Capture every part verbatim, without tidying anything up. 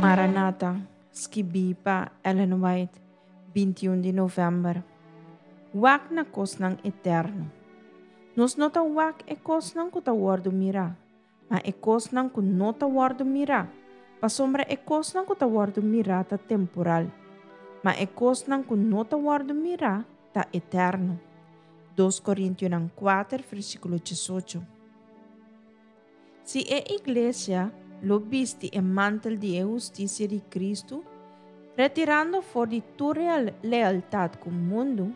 Maranata, skibí pa Ellen White, bintiun di novèmber. Wak na kosnan eterno. Nos no ta wak e kosnan ku ta wòrdu mirá, ma e kosnan ku no ta wòrdu mirá, pasobra e kosnan ku ta wòrdu mirá ta temporal, ma e kosnan ku no ta wòrdu mirá ta eterno. Dos Korintionan kuater, versíkulo diesocho. Si e iglesia lo bisti e mantel di e hustisia di Kristu, retirando for di tur lealtat ku mundu,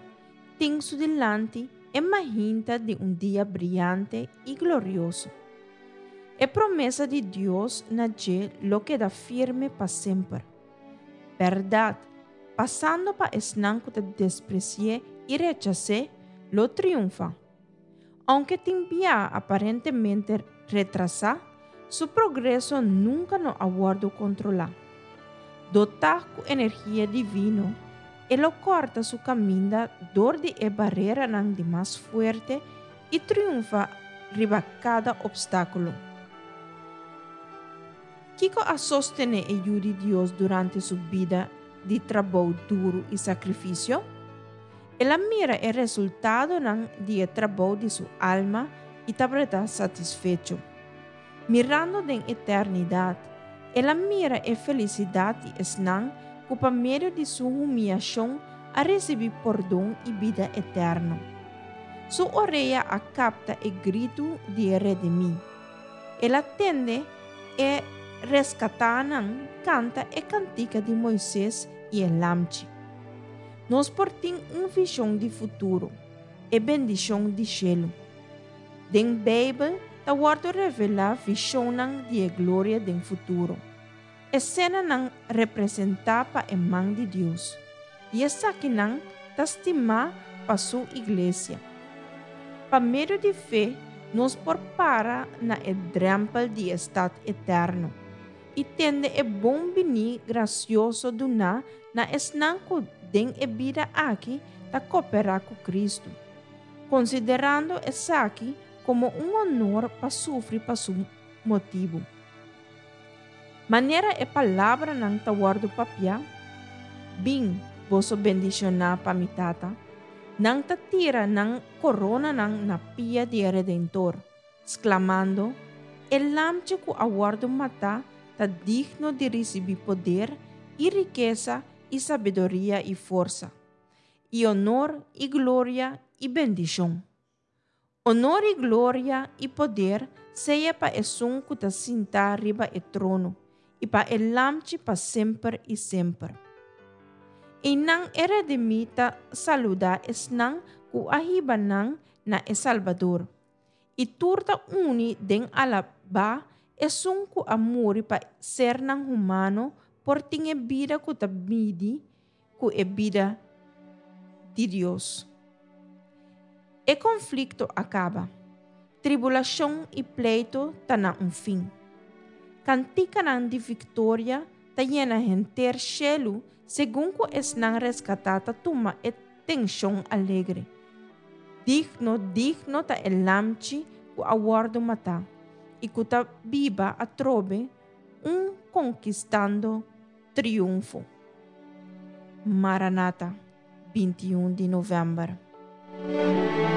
tin su dilanti e mainta di un dia briante i glorioso. E promesa di Dios na dje lo keda firme pa semper. Bèrdat, pasando pa esnan ku ta despresi'é i rechas'é, lo triunfá. Ounke tin bia aparentemente retrasá, su progreso nunka no a wòrdu kontrolá. Dotá ku energia divino, e lo kòrta su kaminda dor di e bareranan di mas fuerte i triunfá riba kada opstákulo. Kiko a sostené e Yu di Dios durante su bida di trabou duru i sakrifisio? El a mira e resultadonan di e trabou di su alma i tabata satisfecho. Mirando den eternidat, el a mira e felisidat di esnan ku pa medio di su humiashon a risibí pordon i bida eterno. Su orea a kapta e gritu di e redimí. El a tende e reskatánan kanta e kantika di Moises i e Lamchi. Nos por tin un vishon di futuro, e bendishon di shelu. Den Beibel ta wòrdu revelá vishonnan di e gloria den futuro. Esenanan representá pa e man di Dios, i esakinan ta stimá pa su iglesia. Pa medio di fe nos por para na e drèmpel di e stat eterno i tende e bon biní grasioso duná na esnan ku den e bida aki ta koperá ku Kristu, konsiderando esaki komo un honor pa sufri pa su motibu. Manera e palabranan ta wòrdu papiá, Bin, boso bendishoná pa mi Tata, nan ta tira nan koronanan na pia di e Redentor, sklamando, E Lamchi ku a wòrdu matá ta digno di risibí poder i rikesa i sabiduria i forsa, i honor i gloria i bendishon. Honor i gloria i poder sea pa Esun ku ta sintá riba e trono, i pa e Lamchi pa semper i semper. Einan e redimí ta saludá esnan ku a hiba nan na e Salbador, i tur ta uni den alabá Esun ku a muri pa sernan humano por tin e bida ku ta midi ku e bida di Dios. E konflikto a kaba. Tribulashon i pleitu ta na un fin. Kantikanan di viktoria ta yena henter shelu segun ku esnan reskatá ta tuma e tenshon alegre. Digno, digno ta e Lamchi ku a wòrdu matá i ku ta biba atrobe un konkistando triunfo. Maranata, bintiun di novèmber.